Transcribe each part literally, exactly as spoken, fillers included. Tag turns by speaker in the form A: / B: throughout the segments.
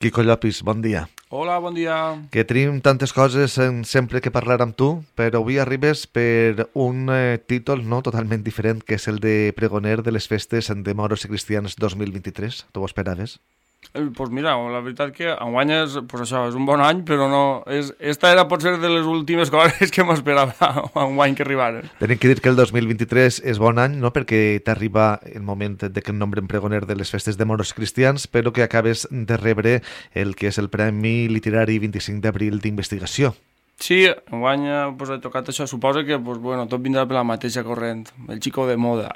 A: Quico Llopis, bon dia.
B: Hola, bon dia.
A: Que tenim tantes coses en sempre que parlar amb tu, però avui arribes per un eh, títol no totalment diferent, que és el de pregoner de les festes de moros i cristians dos mil vint-i-tres. Tu ho esperaves?
B: Doncs pues mira, la veritat que enguany és, pues això, és un bon any, però no... És, esta era potser de les últimes coses que m'esperava enguany que arribaren.
A: Tenim que dir que el dos mil vint-i-tres és bon any, no?, perquè t'arriba el moment de que et nombren pregoner de les festes de moros cristians, però que acabes de rebre el que és el Premi Literari vint-i-cinc d'abril d'investigació.
B: Sí, enguany pues, he tocat això. Suposo que pues, bueno, tot vindrà per la mateixa corrent, el xico de moda.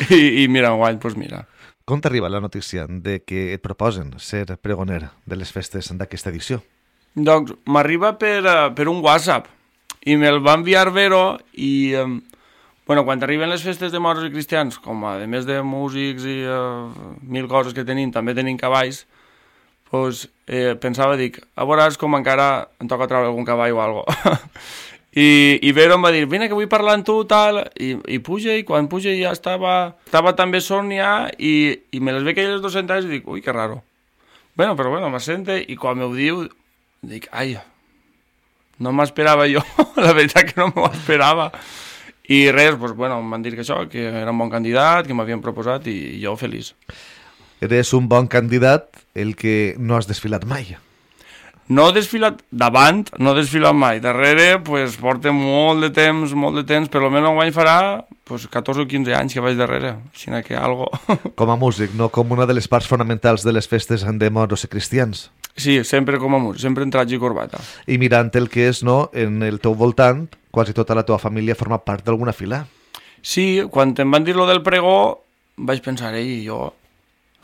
B: I, I mira, enguany, pues mira.
A: Com t'arriba la notícia de que et proposen ser pregoner de les festes d'aquesta edició?
B: Doncs m'arriba per, uh, per un WhatsApp i me'l va enviar Vero i, um, bueno, quan arriben les festes de moros i cristians, com a, a més de músics i uh, mil coses que tenim, també tenim cavalls, pues, eh, pensava, dic, a veuràs com encara em toca treure algun cavall o alguna cosa. I, i Vero em va dir, vine que vull parlar amb tu, tal, i, i puja, i quan puja ja estava, estava també Sònia, i, i me les ve aquelles dos sentades i dic, ui, que raro. Bueno, però bueno, m'assente, i quan m'ho diu, dic, ai, no m'esperava jo, la veritat que no m'ho esperava. I res, doncs, bueno, em van dir que això, que era un bon candidat, que m'havien proposat, i, i jo feliç.
A: Eres un bon candidat, el que no has desfilat mai.
B: No he desfilat davant, no he desfilat mai. Darrere, pues, porta molt de temps, molt de temps, per almenys enguany farà pues, catorze o quinze anys que vaig darrere, així que algo.
A: Com a músic, no com una de les parts fonamentals de les festes de moros i cristians.
B: Sí, sempre com a músic, sempre en traje i corbata.
A: I mirant el que és, no, en el teu voltant, quasi tota la teva família forma part d'alguna fila.
B: Sí, quan em van dir lo del pregó, vaig pensar, ei, jo...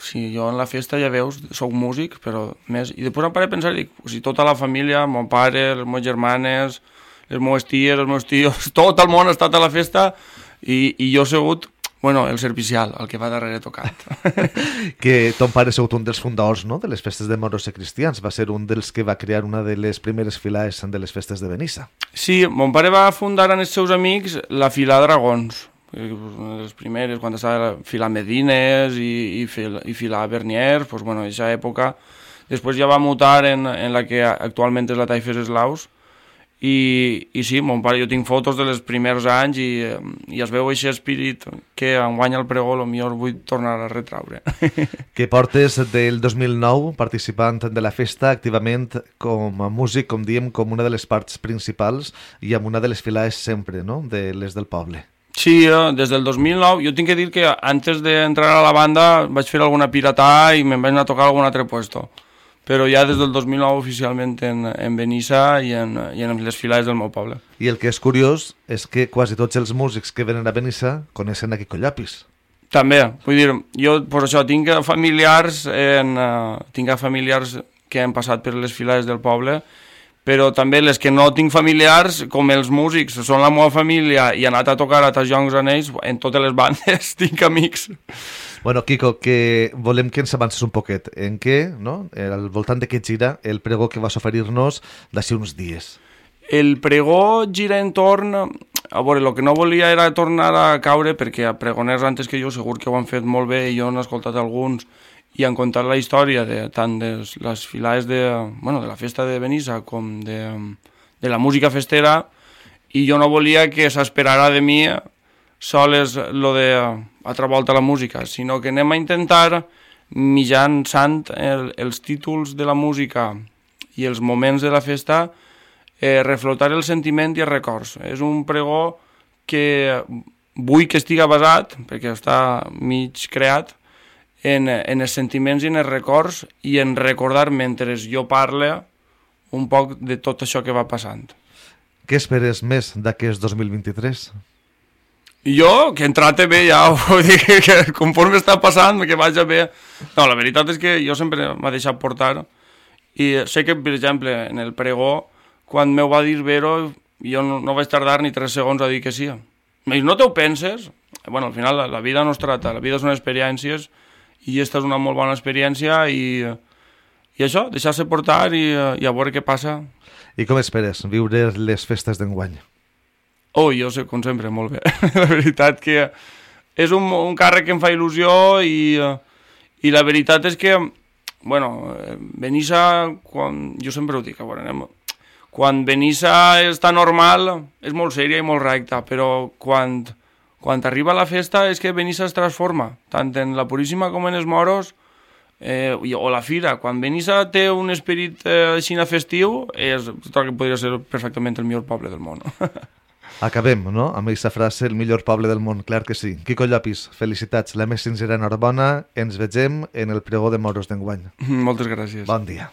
B: Sí, jo en la festa, ja veus, soc músic, però més... I després em paré a pensar, dic, si tota la família, mon pare, les meves germanes, les meves ties, els meus tios, tot el món ha estat a la festa i, i jo he sigut, bueno, el servicial, el que va darrere tocant.
A: Que ton pare ha sigut un dels fundadors, no?, de les festes de moros i cristians. Va ser un dels que va crear una de les primeres files de les festes de Benissa.
B: Sí, mon pare va fundar amb els seus amics la fila Dragons, una de les primeres, quan estava filar Medines i, i, fil, i filar Bernier, pues, bueno, en aquesta època. Després ja va mutar en, en la que actualment és la Taifes Eslaus, i, i sí, mon pare, jo tinc fotos de les primers anys i, i es veu aquest espírit que enguany el pregó, potser vull tornar a retraure.
A: Que portes del dos mil nou participant de la festa activament com a músic, com diem, com una de les parts principals i amb una de les files sempre, no?, de les del poble.
B: Sí, des del dos mil nou, jo tinc que dir que antes d'entrar a la banda vaig fer alguna piratà i me'n vaig anar a tocar algun altre puesto, però ja des del dos mil nou oficialment en, en Benissa i en, i en les files del meu poble.
A: I el que és curiós és que quasi tots els músics que venen a Benissa coneixen a Quico Llopis.
B: També, vull dir, jo per això tinc familiars, en, uh, tinc familiars que han passat per les files del poble, però també les que no tinc familiars, com els músics, són la meva família i he anat a tocar a tasjoncs en ells, en totes les bandes tinc amics.
A: Bueno, Quico, que volem que ens avances un poquet en què, no?, al voltant de què gira el pregó que vas oferir-nos d'ací uns dies.
B: El pregó gira entorn... A veure, el que no volia era tornar a caure, perquè a pregoners antes que jo segur que ho han fet molt bé i jo n'he escoltat alguns i han contat la història de, tant de les filades de, bueno, de la festa de Benissa com de, de la música festera, i jo no volia que s'esperara de mi soles lo de altra volta la música, sinó que anem a intentar, mitjançant el, els títols de la música i els moments de la festa, eh, reflotar el sentiment i els records. És un pregó que vull que estiga basat, perquè està mig creat, En, en els sentiments i en els records i en recordar mentre jo parle un poc de tot això que va passant.
A: Què esperes més d'aquest dos mil vint-i-tres?
B: Jo, que entrate bé ja, vull dir que, que conforme està passant, que vagi bé. No, la veritat és que jo sempre m'ha deixat portar i sé que, per exemple, en el pregó, quan m'ho va dir Vero, jo no, no vaig tardar ni tres segons a dir que sí. I no t'ho penses? Bueno, al final la, la vida no es trata, la vida són experiències, i aquesta és una molt bona experiència i, i això, deixar-se portar i, i a veure què passa.
A: I com esperes viure les festes d'enguany?
B: Oh, jo sé, com sempre, molt bé. La veritat que és un, un càrrec que em fa il·lusió i, i la veritat és que bueno, Benissa, quan, jo sempre ho dic, a veure, anem, quan Benissa està normal és molt sèria i molt recta, però quan, quan arriba la festa és que Benissa es transforma, tant en la Puríssima com en els moros, eh, o la fira. Quan Benissa té un esperit eh, així festiu, és tot el que podria ser perfectament el millor poble del món.
A: Acabem, no?, amb aquesta frase, el millor poble del món, clar que sí. Quico Llopis, felicitats, la més sincera enhorabona, ens vegem en el pregó de moros d'enguany.
B: Moltes gràcies.
A: Bon dia.